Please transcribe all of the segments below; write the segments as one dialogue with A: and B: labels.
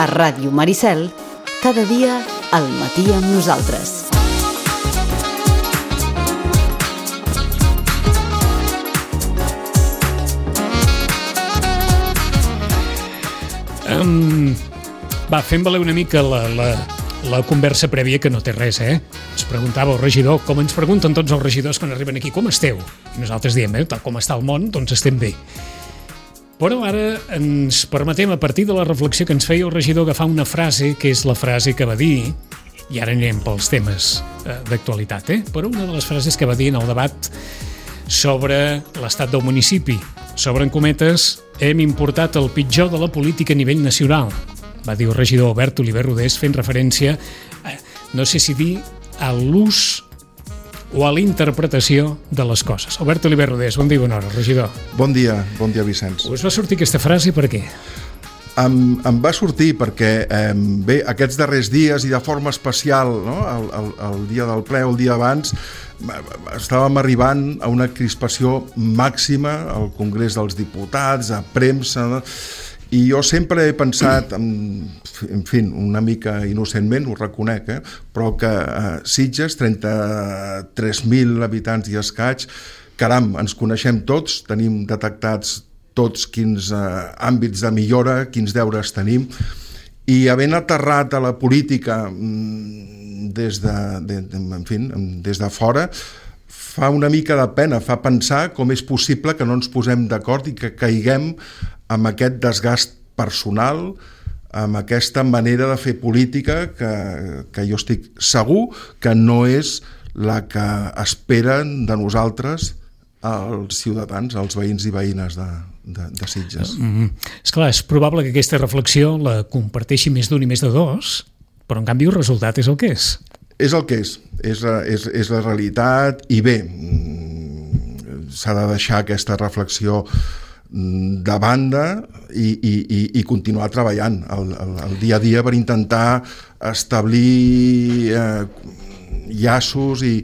A: A Ràdio Maricel, cada dia al matí amb nosaltres.
B: Fem valer una mica la conversa prèvia, que no té res, Ens preguntava el regidor, com ens pregunten tots els regidors quan arriben aquí, com esteu? I nosaltres diem, tal com està el món, doncs estem bé. Però ara ens permetem, a partir de la reflexió que ens feia el regidor, agafar una frase, que és la frase que va dir, i ara anirem pels temes d'actualitat, però una de les frases que va dir en el debat sobre l'estat del municipi, sobre, en cometes, hem importat el pitjor de la política a nivell nacional, va dir el regidor Albert Oliver Rodés, fent referència, no sé si dir, a l'ús o a la interpretació de les coses. Albert Oliver Rodés, bon dia i bona hora, regidor.
C: Bon dia Vicenç.
B: Us va sortir aquesta frase per què?
C: Em va sortir perquè, bé, aquests darrers dies i de forma especial, no? el dia del ple o el dia abans, estàvem arribant a una crispació màxima al Congrés dels Diputats, a premsa, no? I jo sempre he pensat, en fi, una mica innocentment, ho reconec, però que Sitges, 33.000 habitants i escaig, caram, ens coneixem tots, tenim detectats tots quins àmbits de millora, quins deures tenim, i havent aterrat a la política des de fora, fa una mica de pena, fa pensar com és possible que no ens posem d'acord i que caiguem amb aquest desgast personal, amb aquesta manera de fer política que jo estic segur que no és la que esperen de nosaltres els ciutadans, els veïns i veïnes de Sitges.
B: Esclar, és probable que aquesta reflexió la comparteixi més d'un i més de dos, però en canvi el resultat és el que és.
C: És el que és la realitat, i bé, s'ha de deixar aquesta reflexió de banda i continuar treballant el dia a dia per intentar establir llaços i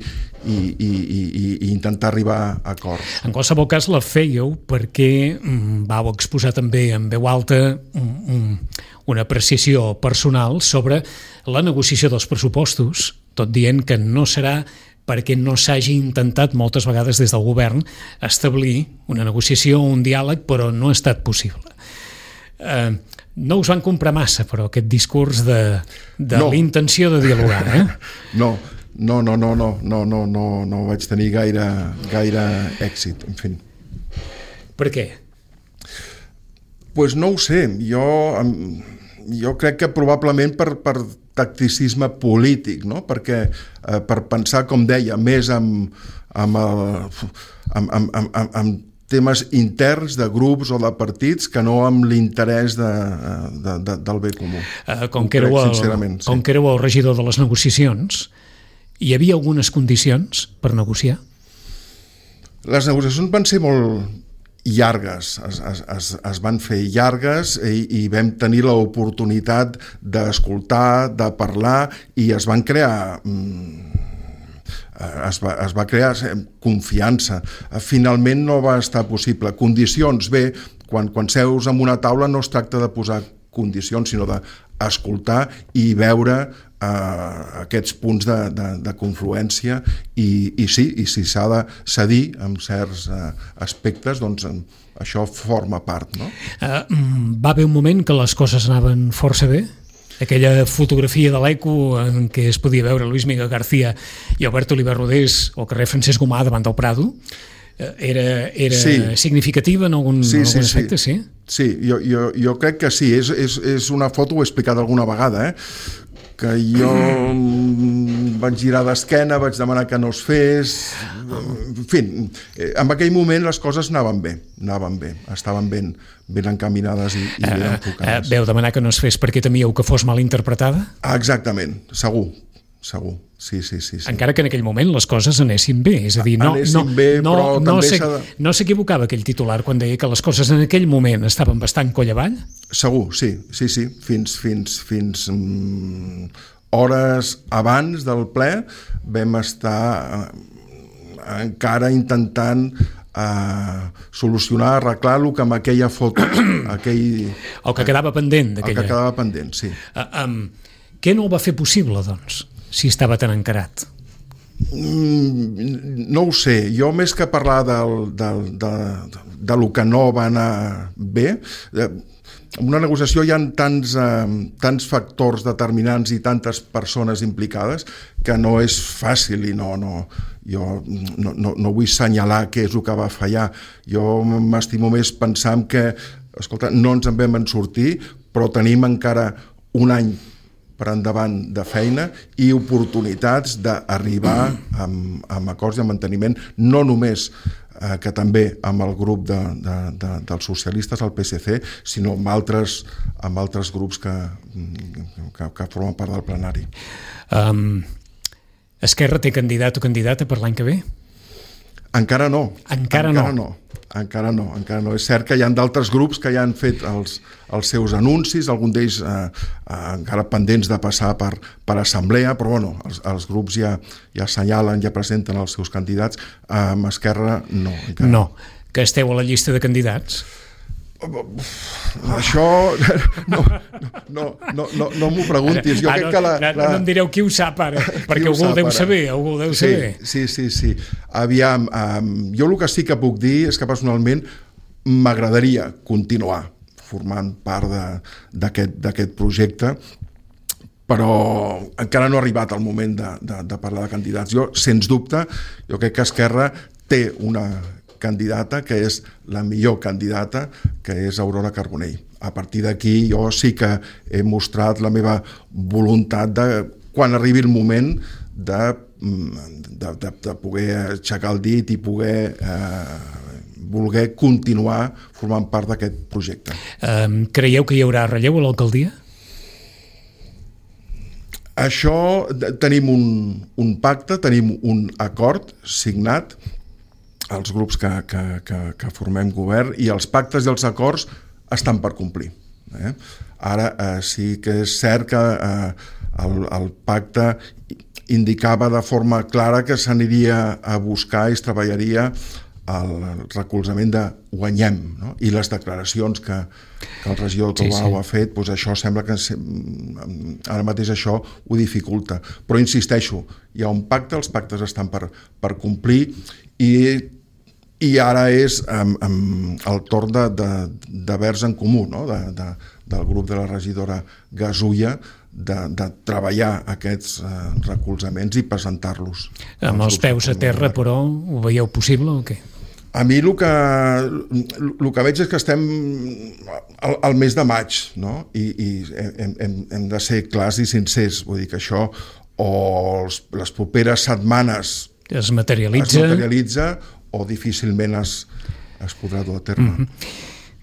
C: intentar arribar a acords.
B: En qualsevol cas la fèieu perquè vau exposar també en veu alta una apreciació personal sobre la negociació dels pressupostos, tot dient que no serà perquè no s'hagi intentat moltes vegades des del govern establir una negociació o un diàleg, però no ha estat possible. No us van comprar massa, però, aquest discurs de no. L'intenció de dialogar,
C: No vaig tenir gaire èxit, en fi.
B: Per què?
C: Pues no ho sé, jo crec que probablement per tacticisme polític, no? Perquè per pensar, com deia, més amb temes interns de grups o de partits que no amb l'interès del bé comú.
B: Com que éreu el regidor de les negociacions, hi havia algunes condicions per negociar?
C: Les negociacions van ser molt llargues, es van fer llargues i vam tenir l'oportunitat d'escoltar, de parlar, i es va crear confiança. Finalment no va estar possible. Condicions, bé, quan seus en una taula no es tracta de posar condicions, sinó d'escoltar i veure aquests punts de confluència i si s'ha de cedir en certs aspectes, doncs això forma part, no?
B: Va haver un moment que les coses anaven força bé? Aquella fotografia de l'Eco en què es podia veure Luis Miguel García i Albert Oliver Rodés al carrer Francesc Gomà davant del Prado, era significativa en algun aspecte, sí?
C: Sí, jo crec que sí. És una foto, ho he explicat alguna vegada, que jo vaig girar d'esquena, vaig demanar que no es fes, en fi, en aquell moment les coses anaven bé, estaven ben encaminades i ben enfocades.
B: Veu demanar que no es fes perquè temíeu que fos mal interpretada?
C: Exactament, segur, sí.
B: Encara que en aquell moment les coses anessin bé, és a dir, no s'equivocava aquell titular quan deia que les coses en aquell moment estaven bastant coll avall?
C: Segur, sí, fins hores abans del ple vam estar encara intentant solucionar, arreglar el que amb aquella foto el
B: que quedava pendent
C: el que quedava pendent, sí.
B: Què no ho va fer possible, doncs, si estava tan encarat?
C: No ho sé, jo més que parlar de lo que no va anar bé, en una negociació hi ha tants factors determinants i tantes persones implicades que no és fàcil i jo no vull assenyalar què és el que va fallar. Jo m'estimo més pensant que, escolta, no ens en vam sortir, però tenim encara un any per endavant de feina i oportunitats d'arribar amb acords de manteniment, no només que també amb el grup dels socialistes, el PSC, sinó amb altres grups que formen part del plenari.
B: Esquerra té candidat o candidata per l'any que ve?
C: Encara no.
B: Encara no.
C: És cert que hi ha d'altres grups que ja han fet els seus anuncis, alguns d'ells encara pendents de passar per assemblea, però bueno, els grups ja assenyalen, ja presenten els seus candidats. Amb Esquerra no.
B: No, que esteu a la llista de candidats?
C: Això no m'ho preguntis. Jo crec que
B: no em direu qui ho sap ara, perquè algú ho deu saber.
C: Sí. Aviam, jo el que sí que puc dir és que personalment m'agradaria continuar formant part d'aquest projecte, però encara no ha arribat el moment de parlar de candidats. Jo, sens dubte, jo crec que Esquerra té una candidata que és la millor candidata, que és Aurora Carbonell. A partir d'aquí jo sí que he mostrat la meva voluntat de, quan arribi el moment, de poder aixecar el dit i poder voler continuar formant part d'aquest projecte.
B: Creieu que hi haurà relleu a l'alcaldia?
C: Això, tenim un pacte, tenim un acord signat, els grups que formem govern, i els pactes i els acords estan per complir. Ara sí que és cert que el pacte indicava de forma clara que s'aniria a buscar i es treballaria el recolzament de guanyem, no? I les declaracions que el regidor Tobau ha fet, doncs això sembla que ara mateix això ho dificulta. Però insisteixo, hi ha un pacte, els pactes estan per complir, i ara és el torn de Verds en Comú, no? Del grup de la regidora Gasulla, de treballar aquests recolzaments i presentar-los.
B: Amb els peus a terra, però, ho veieu possible o què?
C: A mi el que veig és que estem al mes de maig, no? I hem de ser clars i sincers. Vull dir que això, o les properes setmanes
B: es materialitza
C: o difícilment es podrà dur a terme.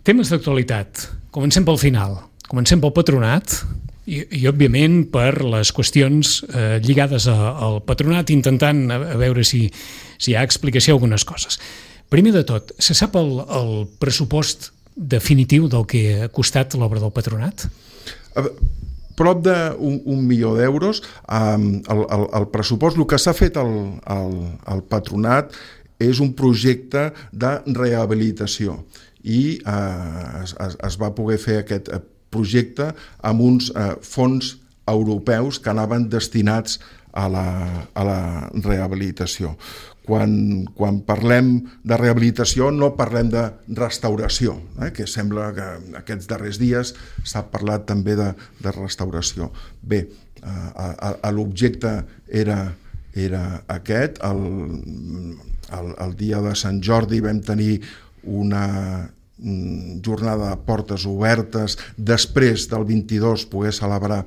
B: Temes d'actualitat. Comencem pel final. Comencem pel patronat i òbviament, per les qüestions lligades al patronat, intentant a veure si hi ha explicació a algunes coses. Primer de tot, se sap el pressupost definitiu del que ha costat l'obra del patronat?
C: Prop d'1 milió d'euros. El pressupost, el que s'ha fet al patronat és un projecte de rehabilitació i es va poder fer aquest projecte amb uns fons europeus que anaven destinats a la rehabilitació. Quan parlem de rehabilitació no parlem de restauració, que sembla que aquests darrers dies s'ha parlat també de restauració. Bé, l'objecte era aquest. El dia de Sant Jordi vam tenir una jornada de portes obertes, després del 22 poder celebrar,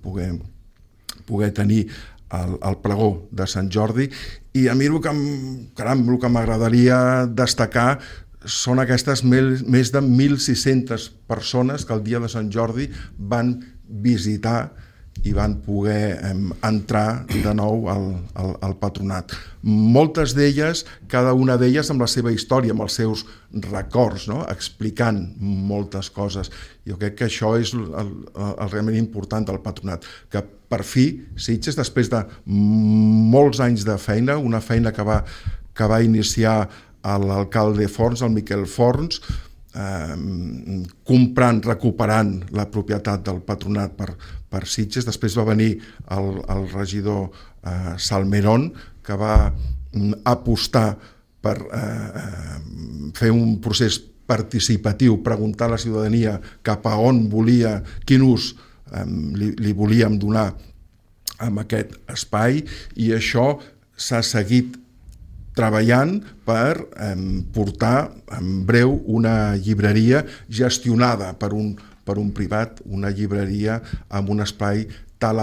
C: poder tenir el pregó de Sant Jordi, i a mi el que m'agradaria destacar són aquestes més de 1.600 persones que el dia de Sant Jordi van visitar i van poder entrar de nou al patronat. Moltes d'elles, cada una d'elles amb la seva història, amb els seus records, no? Explicant moltes coses. Jo crec que això és el realment important del patronat, que per fi Sitges, després de molts anys de feina, una feina que va iniciar l'alcalde Forns, el Miquel Forns, recuperant la propietat del patronat per Sitges. Després va venir el regidor Salmerón, que va apostar per fer un procés participatiu, preguntar a la ciutadania cap a on volia, quin ús li volíem donar amb aquest espai, i això s'ha seguit treballant per portar en breu una llibreria gestionada per un privat, una llibreria amb un espai tan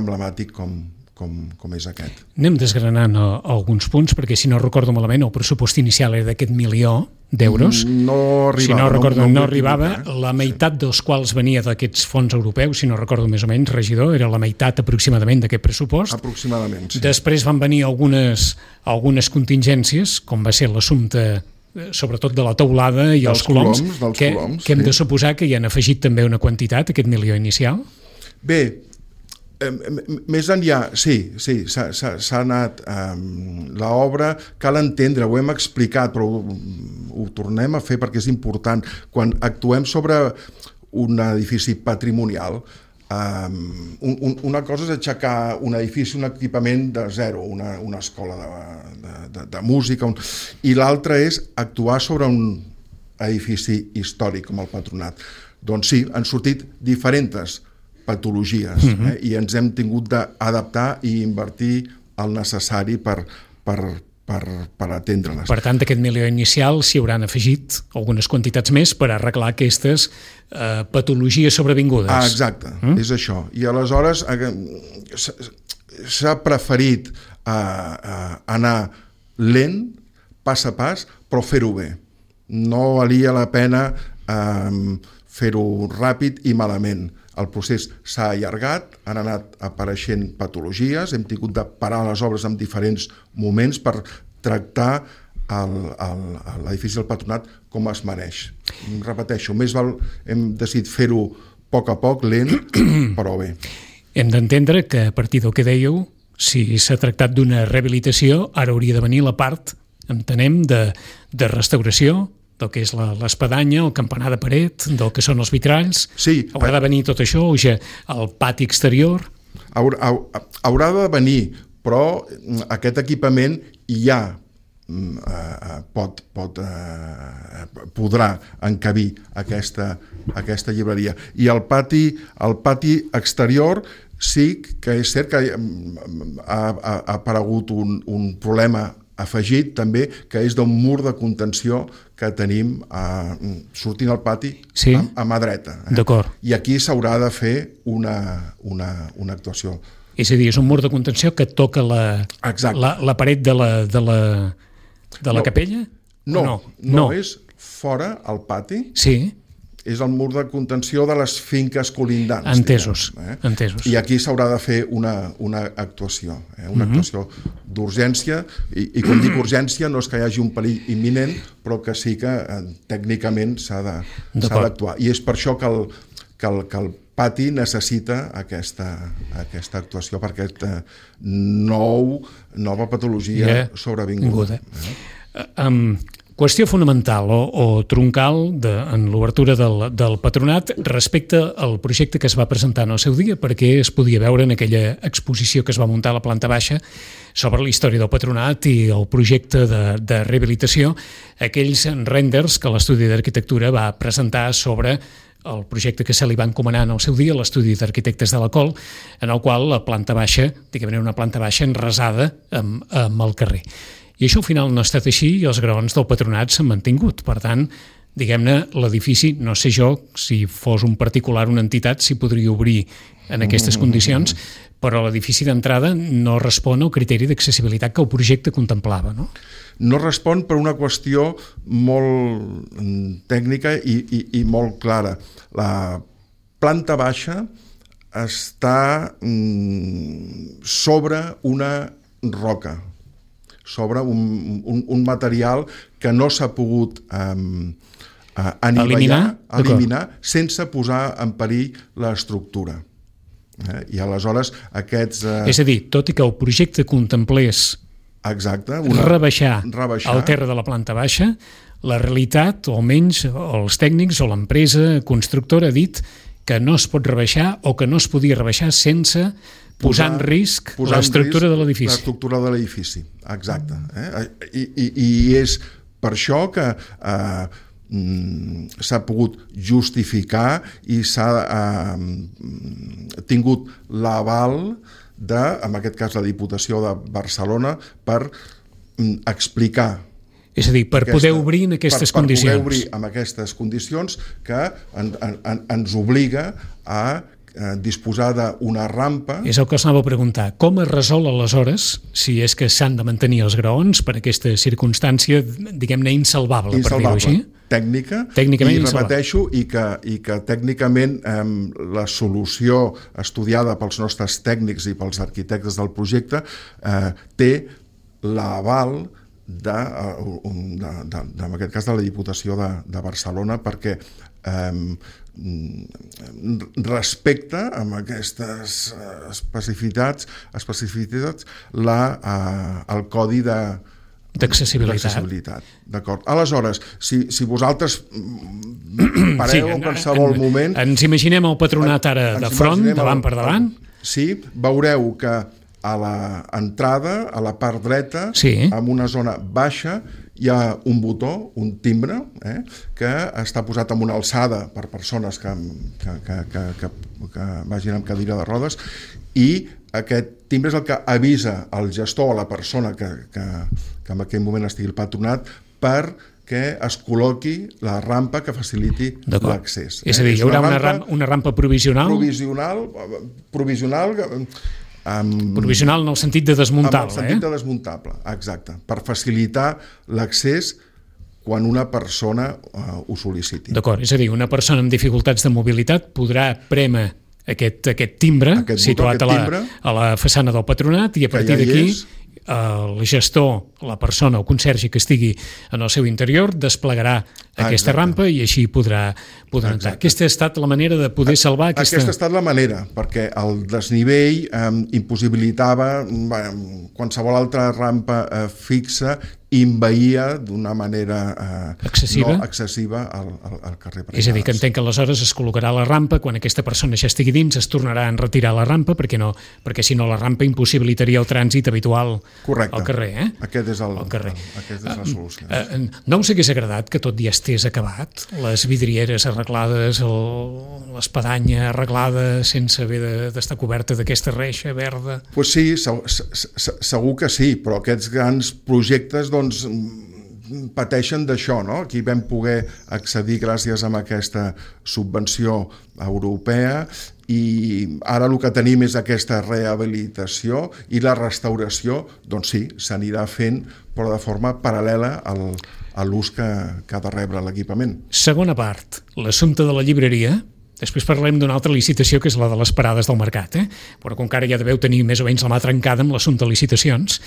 C: emblemàtic com és aquest.
B: Anem desgranant alguns punts, perquè si no recordo malament el pressupost inicial era d'aquest 1 milió d'euros.
C: No arribava.
B: Si no recordo, no arribava, la meitat dels quals venia d'aquests fons europeus, si no recordo més o menys, regidor, era la meitat aproximadament d'aquest pressupost.
C: Aproximadament, sí.
B: Després van venir algunes contingències, com va ser l'assumpte sobretot de la teulada i els coloms, que hem de suposar que hi han afegit també una quantitat, aquest 1 milió inicial?
C: Bé, més enllà, sí, s'ha anat l'obra, cal entendre, ho hem explicat, però ho tornem a fer perquè és important. Quan actuem sobre un edifici patrimonial, una cosa és aixecar un edifici, un equipament de zero, una escola de música, i l'altra és actuar sobre un edifici històric com el Patronat. Doncs sí, han sortit diferents patologies, i ens hem tingut d'adaptar i invertir el necessari per atendre-les.
B: Per tant, d'aquest 1 milió inicial s'hi hauran afegit algunes quantitats més per arreglar aquestes patologies sobrevingudes.
C: Exacte, és això. I aleshores s'ha preferit anar lent, pas a pas, però fer-ho bé. No valia la pena fer-ho ràpid i malament. El procés s'ha allargat, han anat apareixent patologies, hem tingut de parar les obres en diferents moments per tractar l'edifici del Patronat com es mereix. Repeteixo, hem decidit fer-ho a poc, lent, però bé.
B: Hem d'entendre que a partir del que dèieu, si s'ha tractat d'una rehabilitació, ara hauria de venir la part, entenem, de restauració, del que és l'espadanya, el campanar de paret, del que són els vitralls.
C: Sí.
B: Haurà de venir tot això, o ja el pati exterior?
C: Haurà de venir, però aquest equipament ja podrà encabir aquesta llibreria. I el pati exterior sí que és cert que ha aparegut un problema afegit també, que és d'un mur de contenció que tenim sortint al pati a mà dreta.
B: D'acord.
C: I aquí s'haurà de fer una actuació.
B: És a dir, és un mur de contenció que toca la paret de la capella?
C: No, és fora, al pati.
B: Sí.
C: És el mur de contenció de les finques colindants.
B: Entesos.
C: I aquí s'haurà de fer una actuació, una actuació d'urgència, i quan dic urgència no és que hi hagi un perill imminent, però que sí que tècnicament s'ha d'actuar. I és per això que el pati necessita aquesta actuació, per aquesta nova patologia sobrevinguda. Qüestió fonamental o troncal en l'obertura del Patronat respecte al projecte que es va presentar en el seu dia, perquè es podia veure en aquella exposició que es va muntar a la planta baixa sobre la història del Patronat i el projecte de rehabilitació, aquells renders que l'Estudi d'Arquitectura va presentar sobre el projecte que se li va encomanar en el seu dia, l'Estudi d'Arquitectes de la Col, en el qual la planta baixa, diguem-ne una planta baixa enrasada amb el carrer. I això al final no ha estat així i els graons del Patronat s'han mantingut. Per tant, diguem-ne, l'edifici, no sé jo, si fos un particular, una entitat, si podria obrir en aquestes condicions, però l'edifici d'entrada no respon al criteri d'accessibilitat que el projecte contemplava, no? No respon per una qüestió molt tècnica i molt clara. La planta baixa està sobre una roca, sobre un material que no s'ha pogut eliminar sense posar en perill l'estructura. I aleshores aquests... És a dir, tot i que el projecte contemplés Exacte.
B: Rebaixar el terra de la planta baixa. La realitat, o almenys els tècnics o l'empresa constructora ha dit que no es pot rebaixar o que no es podia rebaixar sense posar en risc l'estructura de l'edifici.
C: L'estructura de l'edifici, exacte. I és per això que s'ha pogut justificar i s'ha tingut l'aval de, en aquest cas, la Diputació de Barcelona per explicar.
B: És a dir, per poder obrir en aquestes condicions.
C: Per poder obrir en aquestes condicions que ens obliga a disposar d'una rampa.
B: És el que us anava a preguntar. Com es resol aleshores, si és que s'han de mantenir els graons per aquesta circumstància, diguem-ne, insalvable, per dir-ho així?
C: Tècnicament, i repeteixo, i que tècnicament la solució estudiada pels nostres tècnics i pels arquitectes del projecte té l'aval en aquest cas de la Diputació de Barcelona, perquè respecta amb aquestes especificitats el codi d'accessibilitat. D'acord. Aleshores, si vosaltres pareu en qualsevol moment...
B: Ens imaginem el Patronat ara de front, davant per davant.
C: Sí, veureu que a l'entrada, a la part dreta, en una zona baixa, hi ha un botó, un timbre, que està posat en una alçada per persones que vagin amb cadira de rodes, i aquest timbre és el que avisa el gestor o la persona que en aquell moment estigui al patronat perquè es col·loqui la rampa que faciliti l'accés.
B: És a dir, hi haurà una rampa provisional? Provisional en el sentit de desmuntable.
C: En el sentit de desmuntable, exacte, per facilitar l'accés quan una persona ho sol·liciti.
B: D'acord, és a dir, una persona amb dificultats de mobilitat podrà prémer aquest timbre situat a la façana del Patronat, i a partir d'aquí el gestor, la persona o consergi que estigui en el seu interior desplegarà aquesta rampa i així podrà entrar. Aquesta ha estat la manera de poder salvar aquesta...
C: Aquesta ha estat la manera, perquè el desnivell impossibilitava qualsevol altra rampa fixa, envaïa d'una manera no excessiva al carrer.
B: És a dir, que entenc que aleshores es col·locarà la rampa, quan aquesta persona ja estigui dins es tornarà a enretirar la rampa, perquè si no la rampa impossibilitaria el trànsit habitual al carrer.
C: Aquesta és la solució.
B: No us hagués agradat que tot ja estés acabat? Les vidrieres arreglades, l'espadanya arreglada sense haver d'estar coberta d'aquesta reixa verda?
C: Doncs sí, segur que sí, però aquests grans projectes pateixen d'això, no? Aquí vam poder accedir gràcies a aquesta subvenció europea i ara el que tenim és aquesta rehabilitació i la restauració, doncs sí, s'anirà fent, però de forma paral·lela a l'ús que ha de rebre l'equipament.
B: Segona part, l'assumpte de la llibreria. Després parlem d'una altra licitació, que és la de les parades del mercat, però com que ara ja deveu tenir més o menys la mà trencada amb l'assumpte de licitacions.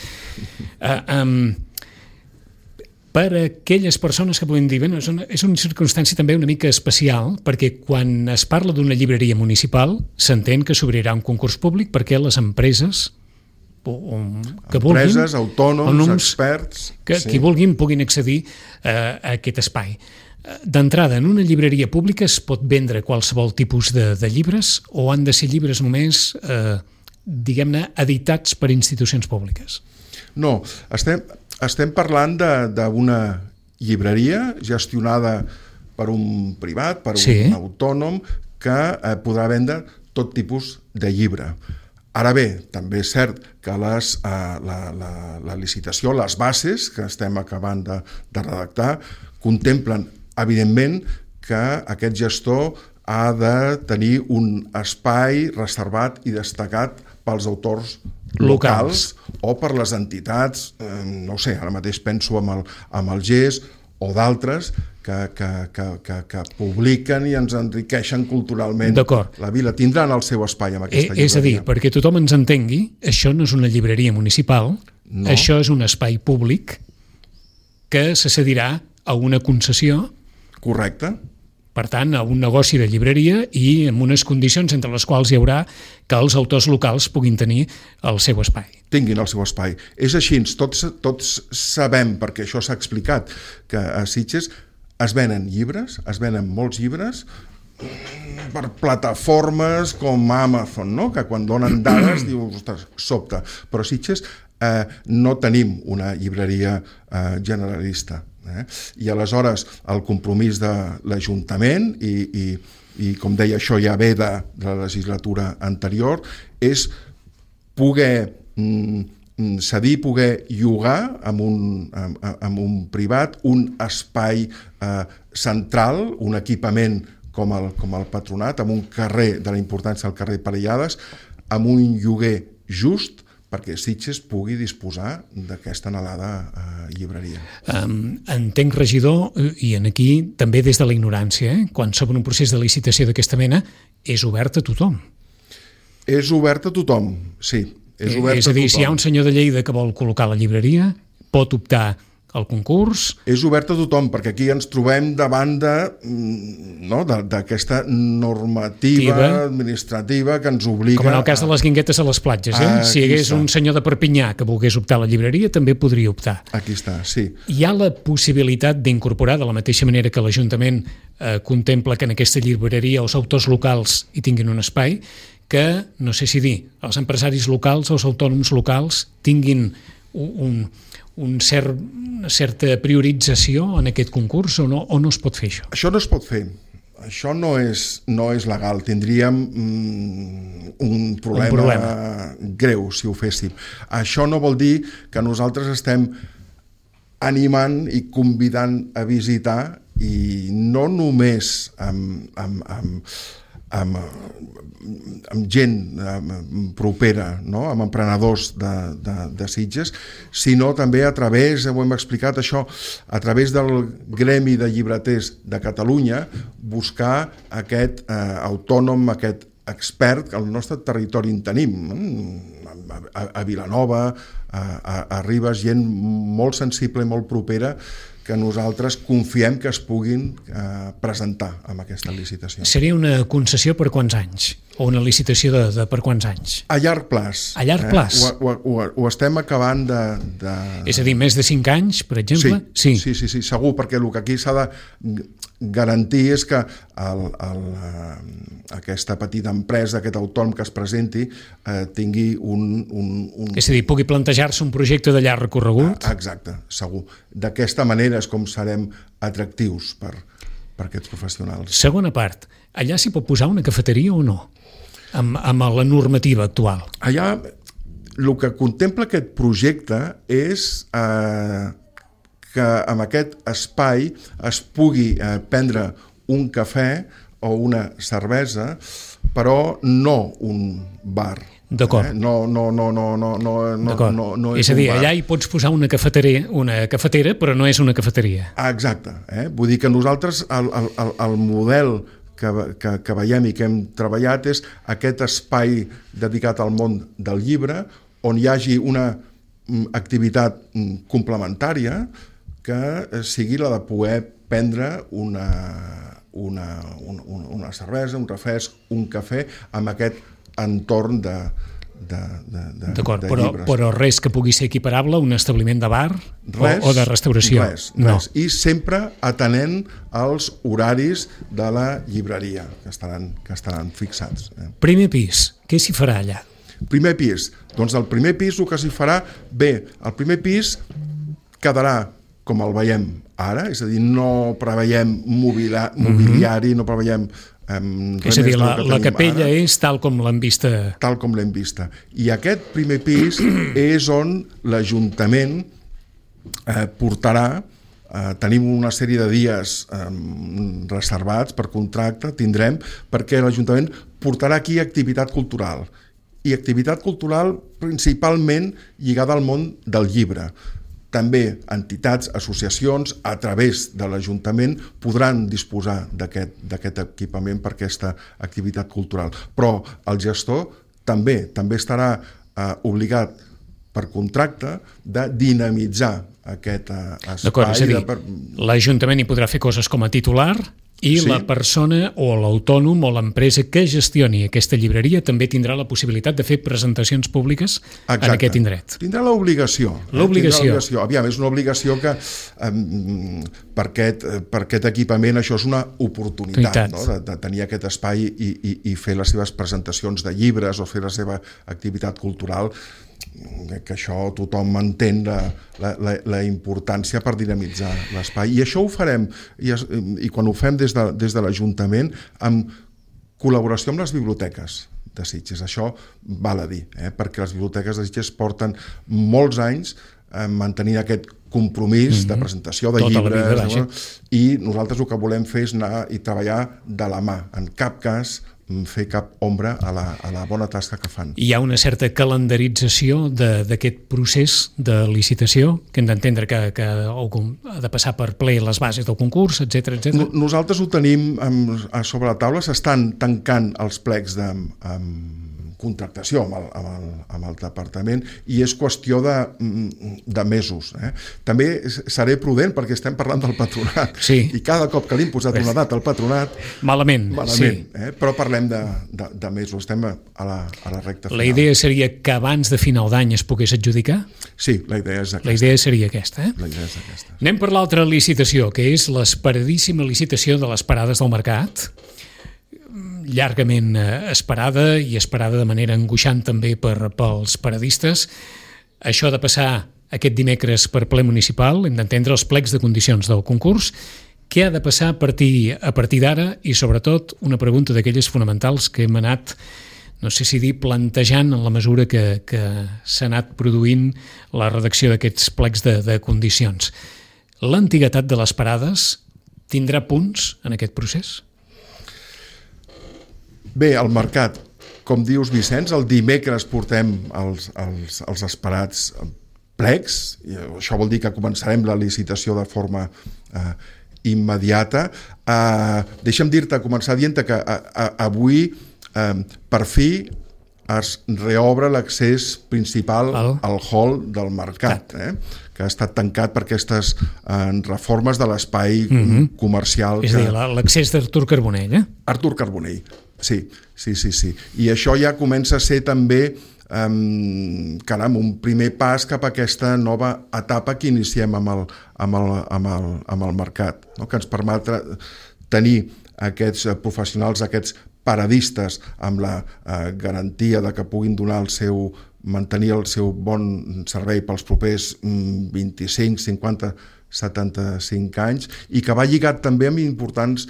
B: Per a aquelles persones que puguin dir, és una circumstància també una mica especial, perquè quan es parla d'una llibreria municipal s'entén que s'obrirà un concurs públic perquè les empreses que vulguin,
C: empreses, autònoms, experts,
B: qui vulguin puguin accedir a aquest espai. D'entrada, en una llibreria pública es pot vendre qualsevol tipus de llibres o han de ser llibres només, diguem-ne, editats per institucions públiques?
C: No, estem parlant d'una llibreria gestionada per un privat, per un autònom, que podrà vendre tot tipus de llibre. Ara bé, també és cert que la licitació, les bases que estem acabant de redactar, contemplen, evidentment, que aquest gestor ha de tenir un espai reservat i destacat pels autors locals o per les entitats, no sé, ara mateix penso amb el GES o d'altres que publiquen i ens enriqueixen culturalment la vila. Tindran el seu espai amb aquesta llibreria.
B: És a dir, perquè tothom ens entengui, això no és una llibreria municipal, això és un espai públic que se cedirà a una concessió.
C: Correcte.
B: per tant, a un negoci de llibreria i amb unes condicions entre les quals hi haurà que els autors locals puguin tenir el seu espai.
C: Tinguin el seu espai. És així, tots sabem, perquè això s'ha explicat, que a Sitges es venen llibres, es venen molts llibres per plataformes com Amazon, no? Que quan donen dades dius, ostres, sobta. Però a Sitges no tenim una llibreria generalista. I aleshores el compromís de l'Ajuntament i com deia, això ja ve de la legislatura anterior, és poder cedir, poder llogar amb un privat un espai central, un equipament com el Patronat, amb un carrer de la importància del carrer Parellades, amb un lloguer just perquè Sitges pugui disposar d'aquesta anhelada llibreria.
B: Entenc, regidor, i aquí també des de la ignorància, quan s'obre un procés de licitació d'aquesta mena, és obert a tothom.
C: És obert a tothom, sí. És
B: a dir, si hi ha un senyor de Lleida que vol col·locar la llibreria, pot optar al concurs.
C: És obert a tothom, perquè aquí ens trobem davant d'aquesta normativa administrativa que ens obliga...
B: Com en el cas de les guinguetes a les platges, si hi hagués un senyor de Perpinyà que volgués optar a la llibreria, també podria optar.
C: Aquí està, sí.
B: Hi ha la possibilitat d'incorporar, de la mateixa manera que l'Ajuntament contempla que en aquesta llibreria els autors locals hi tinguin un espai, que, no sé si dir, els empresaris locals, els autònoms locals, tinguin una certa priorització en aquest concurs o no es pot fer això?
C: Això no es pot fer. Això no és legal. Tindríem un problema greu si ho féssim. Això no vol dir que nosaltres estem animant i convidant a visitar, i no només amb gent propera, no? Amb emprenedors de Sitges, sinó també a través, ho hem explicat això, a través del Gremi de Llibreters de Catalunya, buscar aquest autònom, aquest expert que al nostre territori en tenim, a Vilanova, a Ribes, gent molt sensible i molt propera, que nosaltres confiem que es puguin presentar amb aquesta licitació.
B: Seria una concessió per quants anys? O una licitació de per quants anys?
C: A llarg plaç.
B: A llarg plaç?
C: Ho estem acabant de...
B: És a dir, més de 5 anys, per exemple?
C: Sí, segur, perquè el que aquí s'ha de garantir és que aquesta petita empresa, aquest autònom que es presenti, tingui un...
B: És a dir, pugui plantejar-se un projecte de llarg recorregut?
C: Exacte, segur. D'aquesta manera és com serem atractius per aquests professionals.
B: Segona part, allà s'hi pot posar una cafeteria o no? Amb la normativa actual.
C: Allà el que contempla aquest projecte és que amb aquest espai es pugui prendre un cafè o una cervesa, però no un bar.
B: D'acord.
C: No
B: és a dir, allà hi pots posar una cafetera, però no és una cafeteria.
C: Exacte. Vull dir que nosaltres el model que veiem i que hem treballat és aquest espai dedicat al món del llibre, on hi hagi una activitat complementària que sigui la de poder prendre una cervesa, un refresc, un cafè amb aquest entorn de llibres.
B: Però res que pugui ser equiparable a un establiment de bar o de restauració?
C: Res. I sempre atenent als horaris de la llibreria, que estaran fixats.
B: Primer pis, què s'hi farà allà?
C: Primer pis. Doncs el primer pis el que s'hi farà, bé, el primer pis quedarà com el veiem ara, és a dir, no preveiem mobiliari, no preveiem
B: és a dir, la capella ara és tal com l'hem vista.
C: Tal com l'hem vista. I aquest primer pis és on l'Ajuntament portarà, tenim una sèrie de dies reservats per contracte, tindrem, perquè l'Ajuntament portarà aquí activitat cultural. I activitat cultural principalment lligada al món del llibre. També entitats, associacions, a través de l'Ajuntament podran disposar d'aquest equipament per aquesta activitat cultural. Però el gestor també estarà obligat per contracte de dinamitzar aquest espai.
B: D'acord, és a dir, l'Ajuntament hi podrà fer coses com a titular I la persona o l'autònom o l'empresa que gestioni aquesta llibreria també tindrà la possibilitat de fer presentacions públiques en aquest indret.
C: Tindrà l'obligació. Aviam, és una obligació que per aquest equipament això és una oportunitat, no? de tenir aquest espai i fer les seves presentacions de llibres o fer la seva activitat cultural, que això tothom entén la importància per dinamitzar l'espai. I això ho farem, i quan ho fem des de l'Ajuntament, amb col·laboració amb les biblioteques de Sitges. Això val a dir, perquè les biblioteques de Sitges porten molts anys mantenint aquest compromís de presentació de llibres, i nosaltres el que volem fer és anar i treballar de la mà, en cap cas fer cap ombra a la bona tasca que fan.
B: Hi ha una certa calendarització d'aquest procés de licitació, que hem d'entendre que ha de passar per ple les bases del concurs, etc.
C: Nosaltres ho tenim sobre la taula, s'estan tancant els plecs de contractació amb el departament, i és qüestió de mesos. També seré prudent perquè estem parlant del patronat, i cada cop que li hem posat una data al patronat
B: malament,
C: però parlem de mesos, estem a la recta final.
B: La idea seria que abans de final d'any es pogués adjudicar?
C: Sí, la idea és aquesta.
B: La idea seria aquesta.
C: La idea és aquesta.
B: Anem per l'altra licitació, que és l'esperadíssima licitació de les parades del mercat, llargament esperada i esperada de manera angoixant també pels paradistes. Això ha de passar aquest dimecres per ple municipal, hem d'entendre els plecs de condicions del concurs. Què ha de passar a partir d'ara? I sobretot una pregunta d'aquelles fonamentals que hem anat, no sé si dir, plantejant en la mesura que s'ha anat produint la redacció d'aquests plecs de condicions. L'antiguitat de les parades tindrà punts en aquest procés?
C: Bé, el mercat, com dius, Vicenç, el dimecres portem els esperats plecs, i això vol dir que començarem la licitació de forma immediata. Deixa'm dir-te, començar dient que avui, per fi, es reobre l'accés principal al hall del mercat, que ha estat tancat per aquestes reformes de l'espai comercial.
B: És a dir, l'accés d'Artur Carbonell,
C: Artur Carbonell. Sí. I això ja comença a ser també un primer pas cap a aquesta nova etapa que iniciem amb el mercat, que ens permetrà tenir aquests professionals, aquests paradistes, amb la garantia de que puguin mantenir el seu bon servei pels propers 25, 50, 75 anys, i que va lligat també amb importants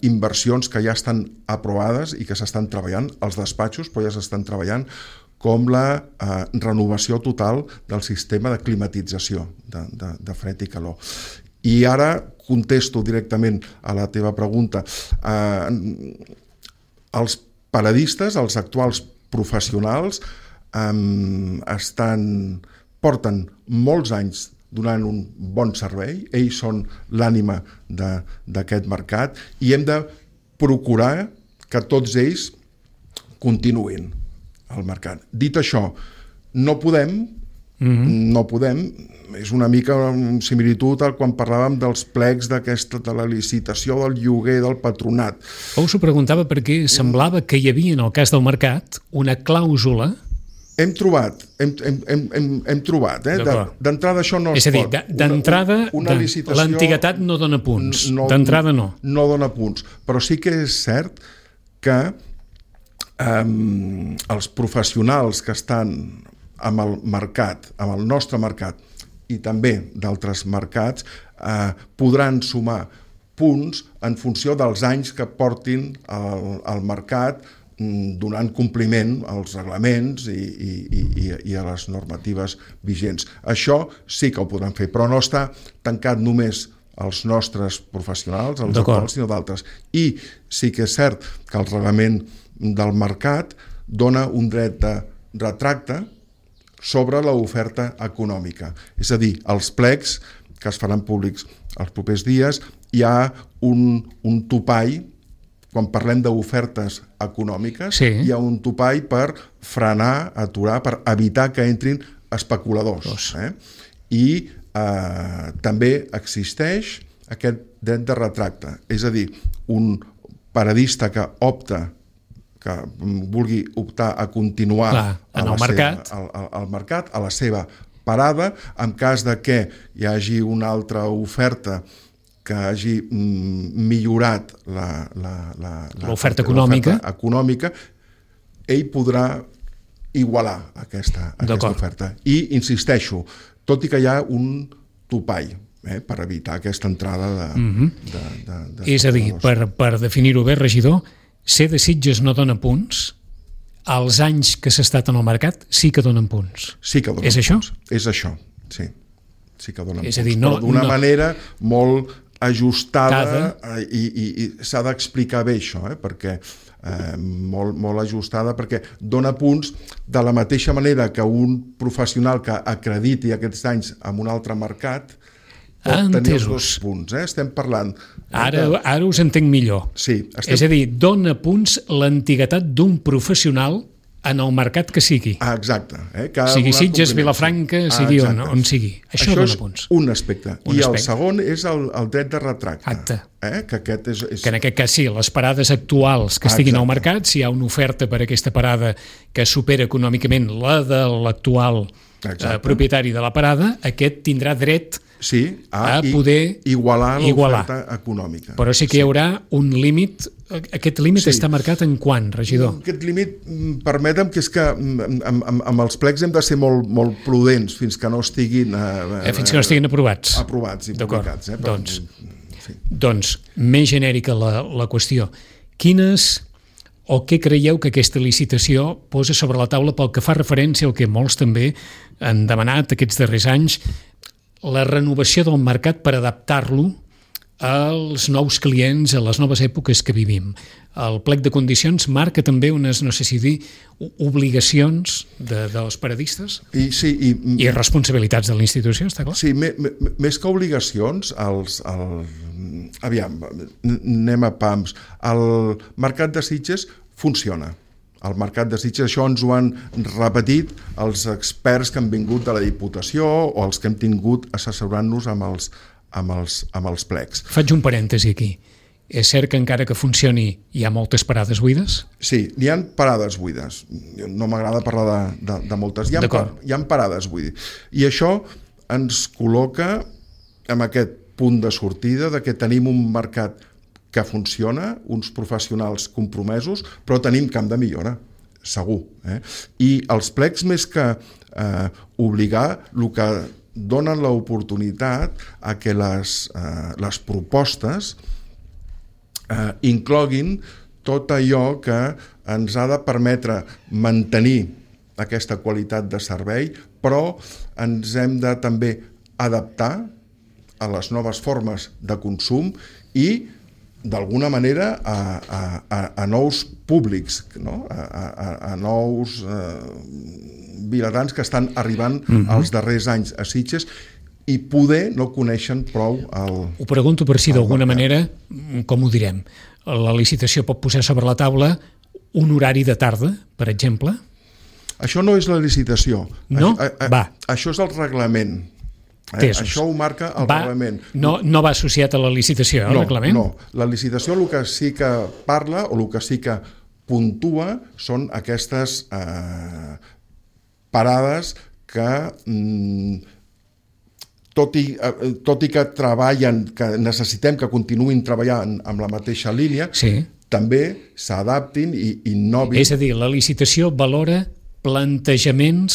C: inversions que ja estan aprovades i que s'estan treballant als despatxos, però ja s'estan treballant, com la renovació total del sistema de climatització de fred i calor. I ara contesto directament a la teva pregunta. Els paradistes, els actuals professionals, porten molts anys donant un bon servei, ells són l'ànima d'aquest mercat, i hem de procurar que tots ells continuïn al mercat. Dit això, no podem, és una mica una similitud al quan parlàvem dels plecs de la licitació del lloguer del patronat.
B: Us ho preguntava perquè semblava que hi havia, en el cas del mercat, una clàusula.
C: Hem trobat. D'entrada això no es pot.
B: És a dir, d'entrada l'antiguitat no dona punts. D'entrada no.
C: No dona punts. Però sí que és cert que els professionals que estan amb el mercat, amb el nostre mercat, i també d'altres mercats, podran sumar punts en funció dels anys que portin al mercat, donant compliment als reglaments i a les normatives vigents. Això sí que ho podran fer, però no està tancat només als nostres professionals, als actuals, sinó d'altres. I sí que és cert que el reglament del mercat dona un dret de retracte sobre l'oferta econòmica. És a dir, els plecs que es faran públics els propers dies, hi ha un topall. Quan parlem d'ofertes econòmiques, hi ha un topall per frenar, aturar, per evitar que entrin especuladors. I també existeix aquest dret de retracte. És a dir, un paradista que vulgui optar a continuar
B: al mercat,
C: a la seva parada, en cas de que hi hagi una altra oferta que hagi millorat
B: l'oferta econòmica,
C: ell podrà igualar aquesta oferta. I insisteixo, tot i que hi ha un topall per evitar aquesta entrada de
B: és a dir, per definir-ho bé, regidor, ser de Sitges no dona punts, els anys que s'ha estat en el mercat sí que donen punts.
C: Sí que donen punts.
B: És això?
C: És això, sí. Sí que donen punts,
B: però
C: d'una manera molt ajustada i s'ha d'explicar bé això, perquè molt ajustada, perquè dona punts de la mateixa manera que un professional que acrediti aquests anys en un altre mercat pot tenir els 2 punts. Estem parlant...
B: Ara us entenc millor.
C: Sí,
B: és a dir, dona punts l'antiguitat d'un professional en el mercat que sigui.
C: Exacte.
B: Sigui Sitges, Vilafranca, sigui on sigui. Això dona punts.
C: És un aspecte. I el segon és el dret de retracte.
B: Que en aquest cas sí, les parades actuals que estiguin al mercat, si hi ha una oferta per aquesta parada que supera econòmicament la de l'actual propietari de la parada, aquest tindrà dret a poder
C: igualar l'oferta econòmica.
B: Però sí que hi haurà un límit. Aquest límit està marcat en quant, regidor?
C: Aquest límit, permetem que és que amb els plecs hem de ser molt prudents fins que no estiguin
B: aprovats
C: i publicats.
B: Doncs, més genèrica la qüestió. Quines o què creieu que aquesta licitació posa sobre la taula pel que fa referència al que molts també han demanat aquests darrers anys, la renovació del mercat per adaptar-lo als nous clients, a les noves èpoques que vivim? El plec de condicions marca també unes, no sé si dir, obligacions dels paradistes i responsabilitats de la institució, està clar?
C: Sí, més que obligacions, aviam, anem a pams. El mercat de Sitges funciona. El mercat de Sitges, això ens ho han repetit els experts que han vingut de la Diputació o els que hem tingut assessorant-nos amb els plecs.
B: Faig un parèntesi aquí. És cert que encara que funcioni hi ha moltes parades buides?
C: Sí, hi ha parades buides. No m'agrada parlar de moltes. Hi ha parades buides. I això ens col·loca en aquest punt de sortida de que tenim un mercat que funciona, uns professionals compromesos, però tenim camp de millora, segur. I els plecs, més que obligar, el que donen l'oportunitat a que les propostes incloguin tot allò que ens ha de permetre mantenir aquesta qualitat de servei, però ens hem de també adaptar a les noves formes de consum i d'alguna manera a nous públics, no? a nous vilatans que estan arribant els darrers anys a Sitges i poder no coneixen prou
B: Ho pregunto per si d'alguna manera, com ho direm, la licitació pot posar sobre la taula un horari de tarda, per exemple?
C: Això no és la licitació.
B: No?
C: Això és el reglament. Això ho marca el reglament.
B: No va associat a la licitació, el reglament?
C: No, la licitació el que sí que parla o el que sí que puntua són aquestes parades que tot i que treballen, que necessitem que continuïn treballant amb la mateixa línia, també s'adaptin i innovin.
B: És a dir, la licitació valora plantejaments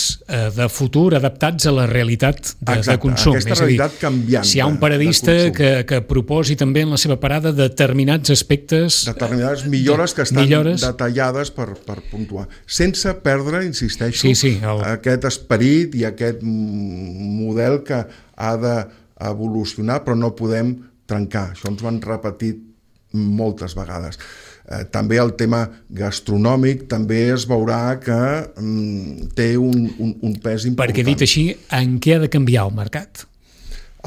B: de futur adaptats a la realitat de consum.
C: Aquesta realitat canviant.
B: Si hi ha un paradista que proposi també en la seva parada determinats aspectes...
C: Determinades millores que estan detallades per puntuar. Sense perdre, insisteixo, aquest esperit i aquest model que ha d'evolucionar, però no podem trencar. Això ens ho han repetit moltes vegades. També el tema gastronòmic també es veurà que té un pes important.
B: Perquè dit així, en què ha de canviar el mercat?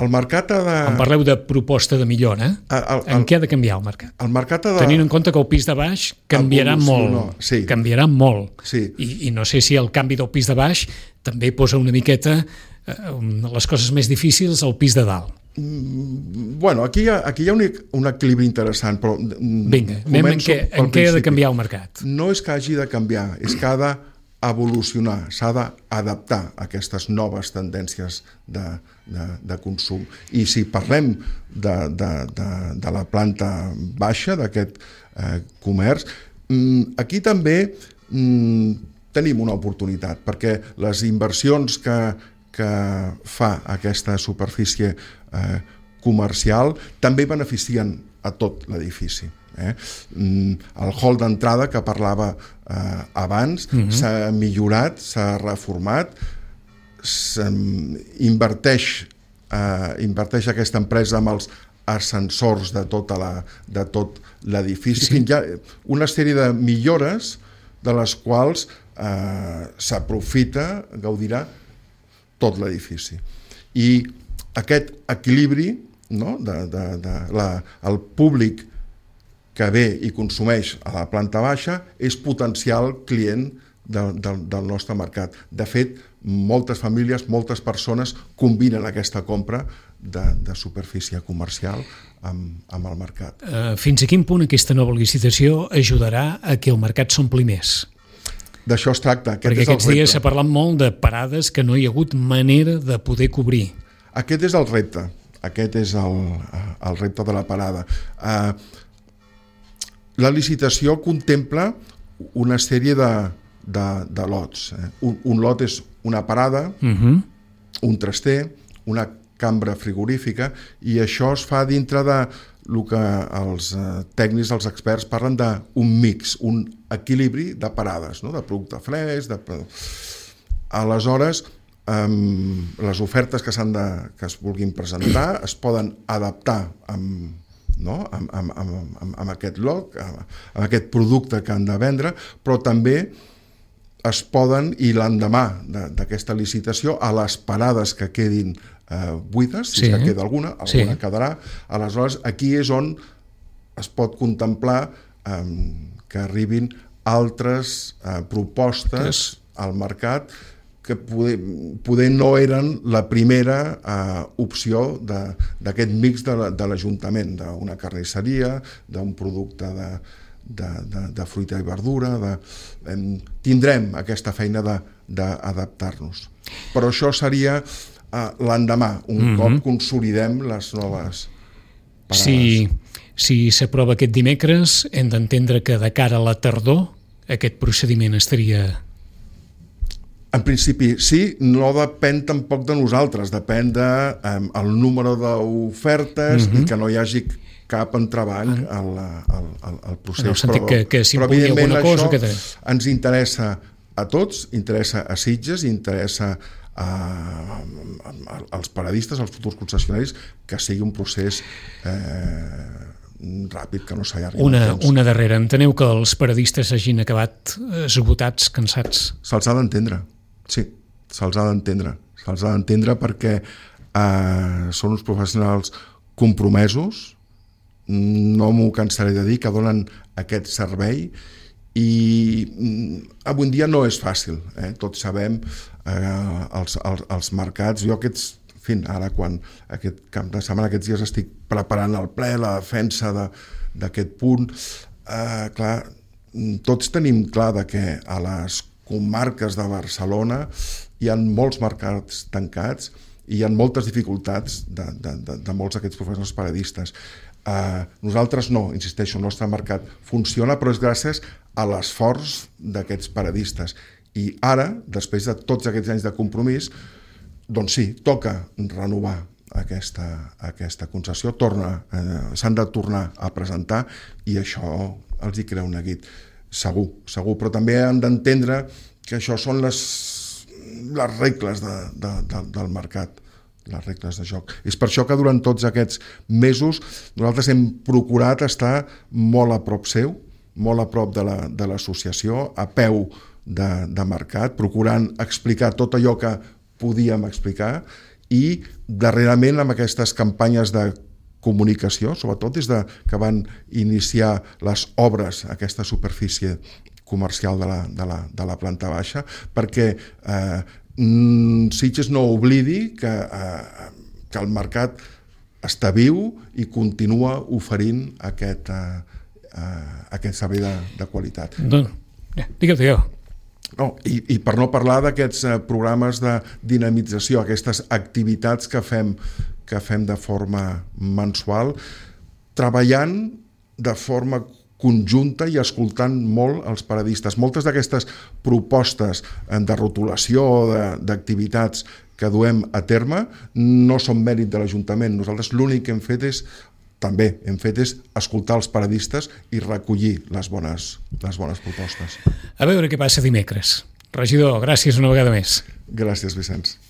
C: El mercat ha de...
B: Em parleu de proposta de millora. En què ha de canviar el mercat?
C: El mercat ha de...
B: Tenint en compte que el pis de baix canviarà molt. Canviarà molt. I no sé si el canvi del pis de baix també posa una miqueta les coses més difícils al pis de dalt.
C: Bueno, aquí hi ha un equilibri interessant, però
B: vinga, anem en què ha de canviar el mercat.
C: No és que hagi de canviar, és que ha d'evolucionar, s'ha d'adaptar a aquestes noves tendències de consum. I si parlem de la planta baixa, d'aquest comerç, aquí també tenim una oportunitat, perquè les inversions que fa aquesta superfície comercial també beneficien a tot l'edifici. El hall d'entrada que parlava abans s'ha millorat, s'ha reformat, inverteix aquesta empresa amb els ascensors de tot l'edifici. Hi ha una sèrie de millores de les quals s'aprofita, gaudirà tot l'edifici. I aquest equilibri, no? El públic que ve i consumeix a la planta baixa és potencial client del nostre mercat. De fet, moltes famílies, moltes persones combinen aquesta compra de superfície comercial amb el mercat.
B: Fins a quin punt aquesta nova licitació ajudarà a que el mercat s'ompli més?
C: D'això es tracta.
B: Perquè aquests dies s'ha parlat molt de parades que no hi ha hagut manera de poder cobrir.
C: Aquest és el repte. Aquest és el repte de la parada. La licitació contempla una sèrie de lots. Un lot és una parada, un traster, una cambra frigorífica, i això es fa dintre de el que els tècnics, els experts, parlen d'un mix, un equilibri de parades, no? De producte fresc. Aleshores, les ofertes que es vulguin presentar es poden adaptar amb aquest lot, amb aquest producte que han de vendre, però també es poden, i l'endemà d'aquesta licitació, a les parades que quedin buides, si que queda alguna quedarà. Aleshores, aquí és on es pot contemplar que arribin altres propostes al mercat que poder no eren la primera opció d'aquest mix de l'Ajuntament, d'una carnisseria, d'un producte de fruita i verdura. Tindrem aquesta feina d'adaptar-nos. Però això seria l'endemà, un cop consolidem les noves parades.
B: Si s'aprova aquest dimecres, hem d'entendre que de cara a la tardor aquest procediment estaria...
C: En principi, sí, no depèn tampoc de nosaltres, depèn del número d'ofertes i que no hi hagi cap entrebanc al procés.
B: En el sentit que si pugui alguna cosa...
C: Però això ens interessa a tots, interessa a Sitges, interessa als paradistes, als futurs concessionaris, que sigui un procés ràpid, que no s'allargui.
B: Una darrera. Enteneu que els paradistes hagin acabat esgotats, cansats?
C: Se'ls ha d'entendre. Sí, se'ls ha d'entendre. Se'ls ha d'entendre perquè són uns professionals compromesos, no m'ho cansaré de dir, que donen aquest servei, i avui en dia no és fàcil. Tots sabem els mercats. Jo ara quan aquest cap de setmana, aquests dies estic preparant el ple, la defensa d'aquest punt, clar, tots tenim clar que a les comarques de Barcelona hi ha molts mercats tancats i hi ha moltes dificultats de molts d'aquests professionals paradistes. Nosaltres no, insisteixo, el nostre mercat funciona, però és gràcies a l'esforç d'aquests paradistes. I ara, després de tots aquests anys de compromís, doncs sí, toca renovar aquesta concessió, s'han de tornar a presentar, i això els hi crea un neguit. Segur, però també han d'entendre que això són les regles del mercat, les regles de joc. És per això que durant tots aquests mesos nosaltres hem procurat estar molt a prop seu, molt a prop de l'associació, a peu de mercat, procurant explicar tot allò que podíem explicar, i darrerament amb aquestes campanyes de comunicació, sobretot des que van iniciar les obres a aquesta superfície comercial de la planta baixa, perquè Sitges no oblidi que el mercat està viu i continua oferint aquest servei de qualitat.
B: Digue-t'ho.
C: No, i per no parlar d'aquests programes de dinamització, aquestes activitats que fem de forma mensual, treballant de forma conjunta i escoltant molt els paradistes. Moltes d'aquestes propostes de rotulació d'activitats que duem a terme no són mèrit de l'Ajuntament. Nosaltres l'únic que hem fet és escoltar els paradistes i recollir les bones propostes.
B: A veure què passa dimecres. Regidor, gràcies una vegada més.
C: Gràcies, Vicenç.